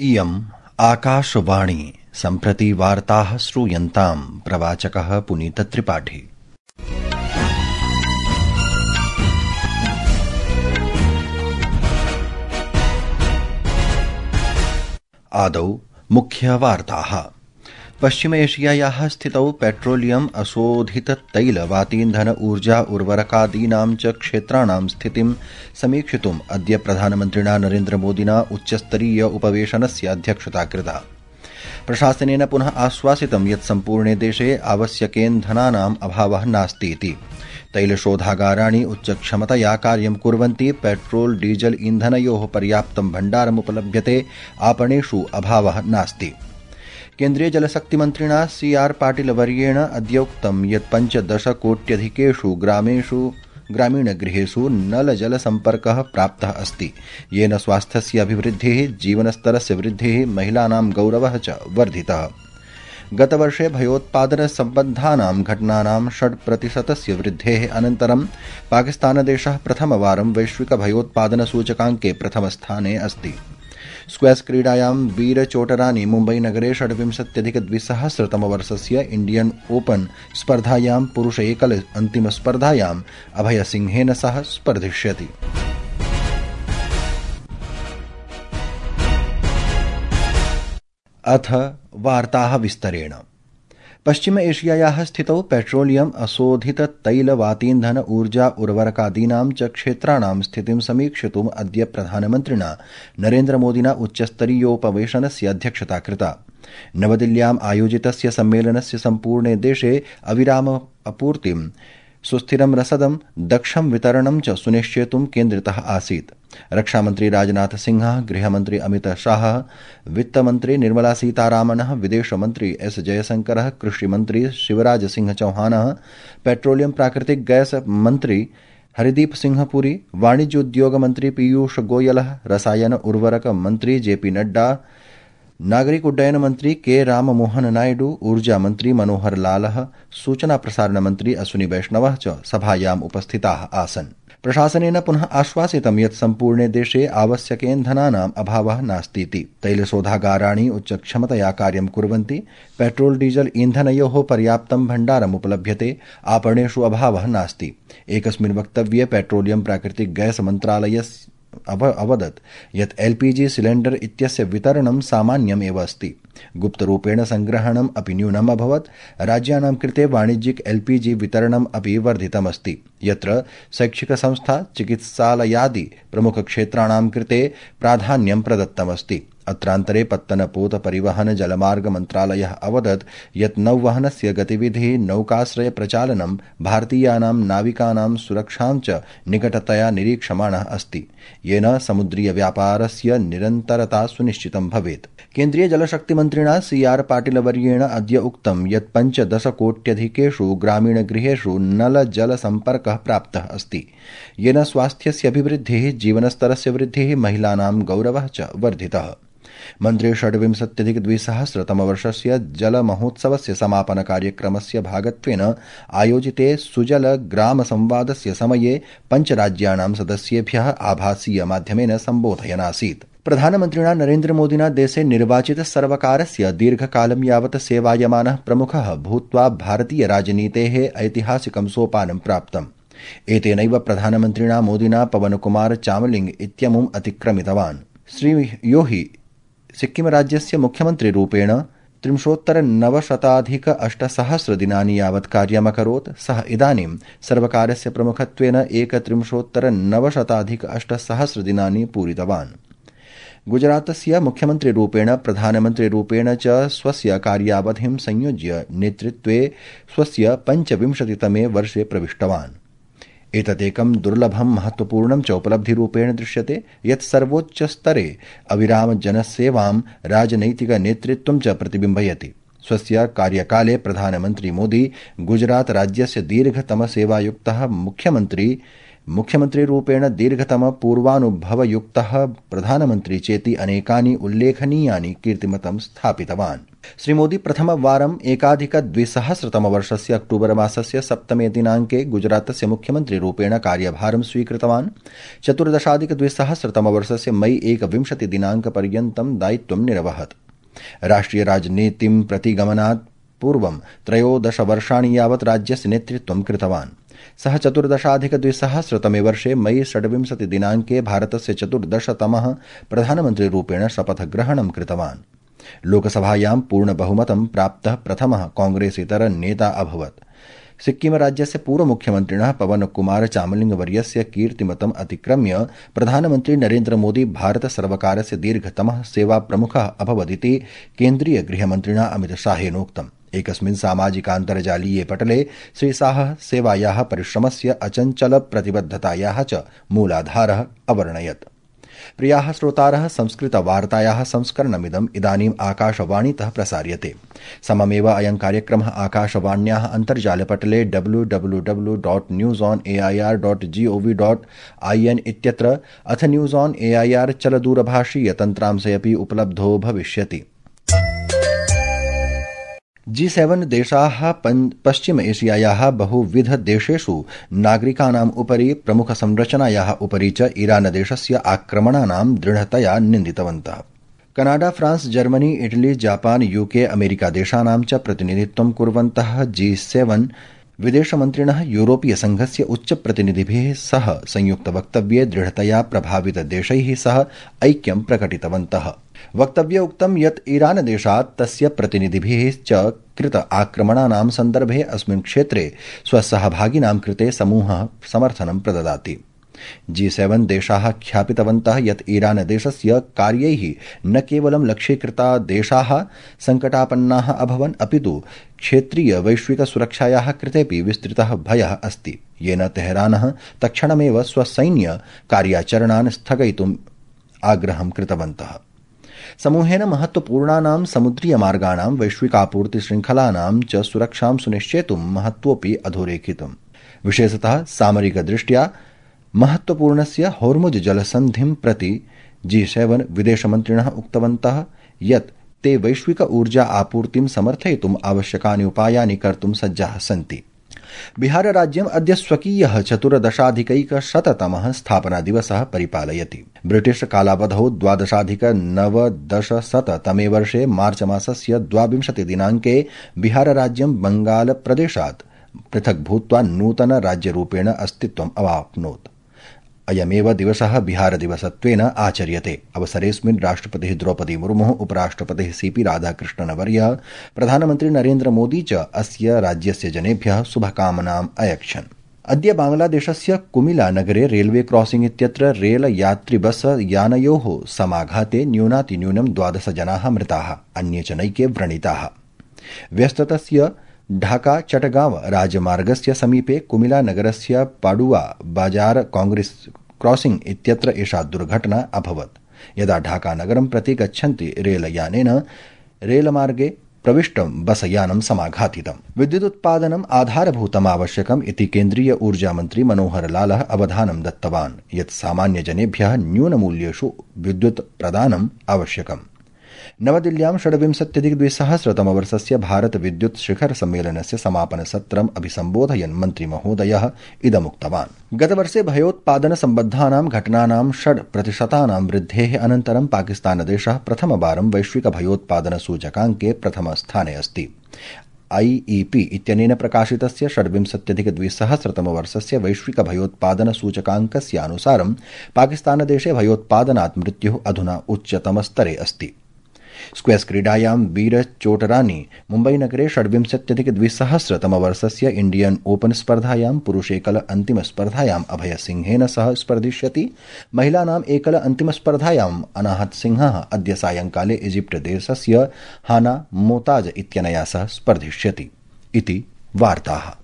इयम् आकाशवाणी सम्प्रति वार्ताः श्रूयन्ताम् प्रवाचकः पुनीतत्रिपाठी। आदौ मुख्यवार्ताः। पश्चिम एशियायाः स्थितौ पेट्रोलियम अशोधित तैल वातीन्धन ऊर्जा उर्वरकादीनां च क्षेत्राणां स्थितिं समीक्षितुम् अद्य प्रधानमन्त्रिणा नरेन्द्र मोदिना उच्चस्तरीय उपवेशनस्य अध्यक्षता कृता। प्रशासनेन पुनः आश्वासितं यत् सम्पूर्णे देशे आवश्यकेन्धनानाम् अभावः नास्ति इति। तैलशोधागाराणि उच्चक्षमतया कार्यं कुर्वन्ति। पेट्रोल डीजल ईन्धनयोः पर्याप्तं भण्डारमुपलभ्यते। आपणेषु अभावः नास्ति। केन्द्रीय जलशक्तिमन्त्रिणा CR पाटिलवर्येण अद्य उक्तं यत् 15 कोट्यधिकेषु ग्रामीणगृहेषु नलजलसम्पर्कः प्राप्तः अस्ति, येन स्वास्थ्यस्य अभिवृद्धिः, जीवनस्तरस्य वृद्धिः, महिलानां गौरवः च वर्धितः। गतवर्षे भयोत्पादनसम्बद्धानां घटनानां 6% वृद्धेः अनन्तरं पाकिस्तानदेशः प्रथमवारं वैश्विकभयोत्पादनसूचकाङ्के प्रथमस्थाने अस्ति। स्क्वैश क्रीडायां वीरचोटरानी मुम्बईनगरे 26,200तमवर्षस्य इण्डियन ओपन स्पर्धायां पुरुष एकल अन्तिमस्पर्धायाम् अभयसिंहेन सह स्पर्धिष्यति। अथ वार्ताः विस्तरेण। पश्चिम एशियायाः स्थितौ पेट्रोलियम अशोधित तैल वातीन्धन ऊर्जा उर्वरकादीनां च क्षेत्राणां स्थितिं समीक्षितुम् अद्य प्रधानमन्त्रिणा नरेन्द्र मोदिना उच्चस्तरीयोपवेशनस्य अध्यक्षता कृता। नवदिल्ल्याम् आयोजितस्य सम्मेलनस्य सम्पूर्णे देशे अविराम आपूर्तिं, सुस्थिरं रसदं, दक्षं वितरणं च सुनिश्चेतुं केन्द्रितः आसीत्। रक्षामन्त्री राजनाथ सिंहः, गृहमन्त्री अमित शाहः, वित्तमन्त्री निर्मला सीतारामनः, विदेशमन्त्री S जयशंकरः, कृषिमन्त्री शिवराज सिंह चौहानः, पेट्रोलियम प्राकृतिक गैस मन्त्री हरदीप सिंह पुरी, वाणिज्योद्योग मन्त्री पीयूष गोयलः, रसायन उर्वरक मन्त्री JP नड्डा, नागरिक उड्डयन मंत्री K राममोहन नायडू, ऊर्जा मंत्री मनोहर लालः, सूचना प्रसारण मंत्री अश्विनी वैष्णवः च सभायाम् उपस्थिताः आसन्। प्रशासनेन पुनः आश्वासितं यत् सम्पूर्णे देशे आवश्यकेन्धनानाम् अभावः नास्तीति। तैलशोधागाराणि उच्चक्षमतया कार्यं कुर्वन्ति। पेट्रोल डीजल ईन्धनयोः पर्याप्तं भण्डारमुपलभ्यते। आपणेषु अभावः नास्ति। एकस्मिन् वक्तव्ये पेट्रोलियम प्राकृतिक गैस मन्त्रालयस्य अवदत् यत् LPG सिलेण्डर इत्यस्य वितरणं सामान्यम् एव अस्ति। गुप्तरूपेण संग्रहणम् अपि न्यूनम् अभवत्। राज्यानां कृते वाणिज्यिक LPG वितरणम् अपि वर्धितमस्ति, यत्र शैक्षिकसंस्था, चिकित्सालयादि प्रमुखक्षेत्राणां कृते प्राधान्यं प्रदत्तमस्ति। अत्रान्तरे पत्तनपोत परिवहन जलमार्ग मन्त्रालयः अवदत् यत् नौवहनस्य गतिविधिः, नौकाश्रय प्रचालनं, भारतीयानां नाविकानां सुरक्षां च निकटतया निरीक्षमाणः अस्ति, येन समुद्रीय व्यापारस्य निरन्तरता सुनिश्चितं भवेत्। केन्द्रीय जलशक्तिमन्त्रिणा CR पाटिलवर्येण अद्य उक्तं यत् 15 कोट्यधिकेषु ग्रामीणगृहेषु नलजलसम्पर्कः प्राप्तः अस्ति, येन स्वास्थ्यस्य अभिवृद्धिः, जीवनस्तरस्य वृद्धिः, महिलानां गौरवः च वर्धितः। मन्त्री 26,200तमवर्षस्य जलमहोत्सवस्य समापनकार्यक्रमस्य भागत्वेन आयोजिते सुजल ग्राम संवादस्य समये पञ्चराज्यानां सदस्येभ्यः आभासीयमाध्यमेन सम्बोधयन् आसीत्। प्रधानमन्त्रिणा नरेन्द्र मोदिना देशे निर्वाचित सर्वकारस्य दीर्घकालं यावत् सेवायमानः प्रमुखः भूत्वा भारतीय राजनीतेः ऐतिहासिकं सोपानं प्राप्तम्। एतेनैव प्रधानमन्त्रिणा मोदिना पवनकुमार चामलिंग इत्यमुम् अतिक्रमितवान्। श्रीयोही सिक्किमराज्यस्य मुख्यमन्त्रिरूपेण 3,998 दिनानि यावत् कार्यमकरोत्। सः इदानीं सर्वकारस्य प्रमुखत्वेन 1,3,998 दिनानि पूरितवान्। गुजरातस्य मुख्यमन्त्रिरूपेण, प्रधानमन्त्रिरूपेण च स्वस्य कार्यावधिं संयोज्य नेतृत्वे स्वस्य 25तमे वर्षे प्रविष्टवान्। एतदेकं दुर्लभं, महत्वपूर्णं च उपलब्धिरूपेण दृश्यते यत् सर्वोच्चस्तरे अविराम जनसेवां, राजनैतिकनेतृत्वं च प्रतिबिम्बयति। स्वस्य कार्यकाले प्रधानमन्त्री मोदी गुजरात राज्यस्य दीर्घतमसेवायुक्तः मुख्यमन्त्रीरूपेण दीर्घतम पूर्वानुभवयुक्तः प्रधानमन्त्री चेति अनेकानि उल्लेखनीयानि कीर्तिमतं स्थापितवान्। श्रीमोदी प्रथमवारम् 2021 अक्टूबर मासस्य 7 दिनाङ्के गुजरातस्य मुख्यमन्त्रिरूपेण कार्यभारं स्वीकृतवान्। 2014 मई 21 दिनाङ्कपर्यन्तं दायित्वं निरवहत्। राष्ट्रियराजनीतिं प्रति गमनात् पूर्वं 13 वर्षाणि यावत् राज्यस्य नेतृत्वं कृतवान्। सः 2014 वर्षे मई 26 दिनाङ्के भारतस्य 14तमः प्रधानमन्त्रिरूपेण शपथग्रहणं कृतवान्। लोकसभायां पूर्णबहुमतं प्राप्तः प्रथमः कांग्रेसेतर नेता अभवत्। सिक्किम राज्यस्य पूर्वमुख्यमन्त्रिणः पवन कुमार चामलिङ्गवर्यस्य कीर्तिमतम् अतिक्रम्य प्रधानमन्त्री नरेन्द्र मोदी भारतसर्वकारस्य दीर्घतमः सेवाप्रमुखः अभवदिति केन्द्रीय गृहमन्त्रिणा अमितशाहेनोक्तम्। एकस्मिन् सामाजिकान्तर्जालीये पटले श्रीशाहः सेवायाः परिश्रमस्य अचञ्चलप्रतिबद्धतायाः च मूलाधारः अवर्णयत्। प्रियाः श्रोतारः, संस्कृतवार्तायाः संस्करणमिदम् इदानीम् आकाशवाणीतः प्रसार्यते। सममेव अयं कार्यक्रमः आकाशवाण्याः अन्तर्जालपटले www.newsonair.gov.in इत्यत्र अथ न्यूज़ ऑन एआईआर चलदूरभाषीय तन्त्रांशे अपि उपलब्धो भविष्यति। G7 देशाः पश्चिम एशियायाः बहुविध देशेषु नागरिकानाम् उपरि प्रमुखसंरचनायाः उपरि च ईरानदेशस्य आक्रमणानां दृढतया निन्दितवन्तः। Canada, France, Germany, Italy, Japan, UK, America देशानां च प्रतिनिधित्वं कुर्वन्तः G7 विदेशमन्त्रिणः यूरोपीय संघस्य उच्चप्रतिनिधिभिः सह संयुक्तवक्तव्ये दृढतया प्रभावितदेशैः सह ऐक्यं प्रकटितवन्तः। वक्तव्ये उक्तं यत् ईरानदेशात् तस्य प्रतिनिधिभिः च कृत आक्रमणानां सन्दर्भे अस्मिन् क्षेत्रे स्वसहभागिनां कृते समूहः समर्थनं प्रददाति। G7 देशाः ख्यापितवन्तः यत् ईरानदेशस्य कार्यैः न केवलं लक्ष्यीकृता देशाः सङ्कटापन्नाः अभवन्, अपितु क्षेत्रीय वैश्विक सुरक्षायाः कृतेपि विस्तृतः भयः अस्ति, येन तेहरानः तत्क्षणमेव स्वसैन्य कार्याचरणान् स्थगयितुम् आग्रहं कृतवन्तः। समूहेन महत्वपूर्णानां समुद्रीयमार्गाणां वैश्विकापूर्तिशृङ्खलानां च सुरक्षां सुनिश्चेतुं महत्वोऽपि अधोरेखितम्। विशेषतः सामरिकदृष्ट्या महत्वपूर्णस्य होर्मुज जलसन्धिं प्रति G7 विदेशमन्त्रिणः उक्तवन्तः यत् ते वैश्विक ऊर्जा आपूर्तिं समर्थयितुम् आवश्यकानि उपायानि कर्तुं सज्जाः सन्ति। बिहारराज्यम् अद्य स्वकीयः 14,100तमः स्थापनादिवसः परिपालयति। ब्रिटिश कालावधौ 12,990तमे वर्षे मार्च मासस्य 22 दिनाङ्के बिहारराज्यं बङ्गालप्रदेशात् पृथक् भूत्वा नूतन राज्यरूपेण अस्तित्वम् अवाप्नोत्। अयमेव दिवसः बिहारदिवसत्वेन आचर्यते। अवसरेऽस्मिन् राष्ट्रपतिः द्रौपदी मुर्मुः, उपराष्ट्रपतिः CP राधाकृष्णनवर्यः, प्रधानमन्त्री नरेन्द्र मोदी च अस्य राज्यस्य जनेभ्यः शुभकामनाम् अयच्छन्। अद्य बांग्लादेशस्य कुमिला नगरे रेलवे क्रॉसिंग इत्यत्र रेल यात्रिबस यानयोः समाघाते न्यूनातिन्यूनं 12 जनाः मृताः, अन्ये च नैके व्रणिताः। व्यस्ततस्य ढाका चटगांव राजमार्गस्य समीपे कुमिला नगरस्य पाडुआ बाजार कांग्रेस क्रॉसिंग इत्यत्र एषा दुर्घटना अभवत्। यदा ढाका नगरं प्रति गच्छन्ति रेलयानेन रेलमार्गे प्रविष्टं बसयानं समाघातितम्। विद्युदुत्पादनम् आधारभूतमावश्यकम् इति केन्द्रीय ऊर्जामन्त्री मनोहर लालः अवधानं दत्तवान् यत् सामान्यजनेभ्यः न्यूनमूल्येषु विद्युत् प्रदानम् आवश्यकम्। नवदिल्ल्यां 26,200तमवर्षस्य भारत विद्युत् शिखर सम्मेलनस्य समापनसत्रम् अभिसम्बोधयन् मन्त्रिमहोदयः इदमुक्तवान्। गतवर्षे भयोत्पादनसम्बद्धानां घटनानां 6% वृद्धेः अनन्तरं पाकिस्तानदेशः प्रथमवारं वैश्विक भयोत्पादनसूचकाङ्के प्रथमस्थाने अस्ति। IEP इत्यनेन प्रकाशितस्य 26,200तमवर्षस्य वैश्विक भयोत्पादनसूचकाङ्कस्य अनुसारं पाकिस्तानदेशे भयोत्पादनात् मृत्युः अधुना उच्चतमस्तरे अस्ति। स्क्वैश क्रीडायां वीर चोटरानी मुम्बईनगरे 26,200तमवर्षस्य इण्डियन ओपन स्पर्धायां पुरुषेकल अन्तिमस्पर्धायाम् अभयसिंहेन सह स्पर्धिष्यति। महिलानाम् एकल अन्तिमस्पर्धायाम् अनाहत सिंहः अद्य सायंकाले इजिप्ट देशस्य हाना मोताज इत्यनया सह स्पर्धिष्यति। इति वार्ताः।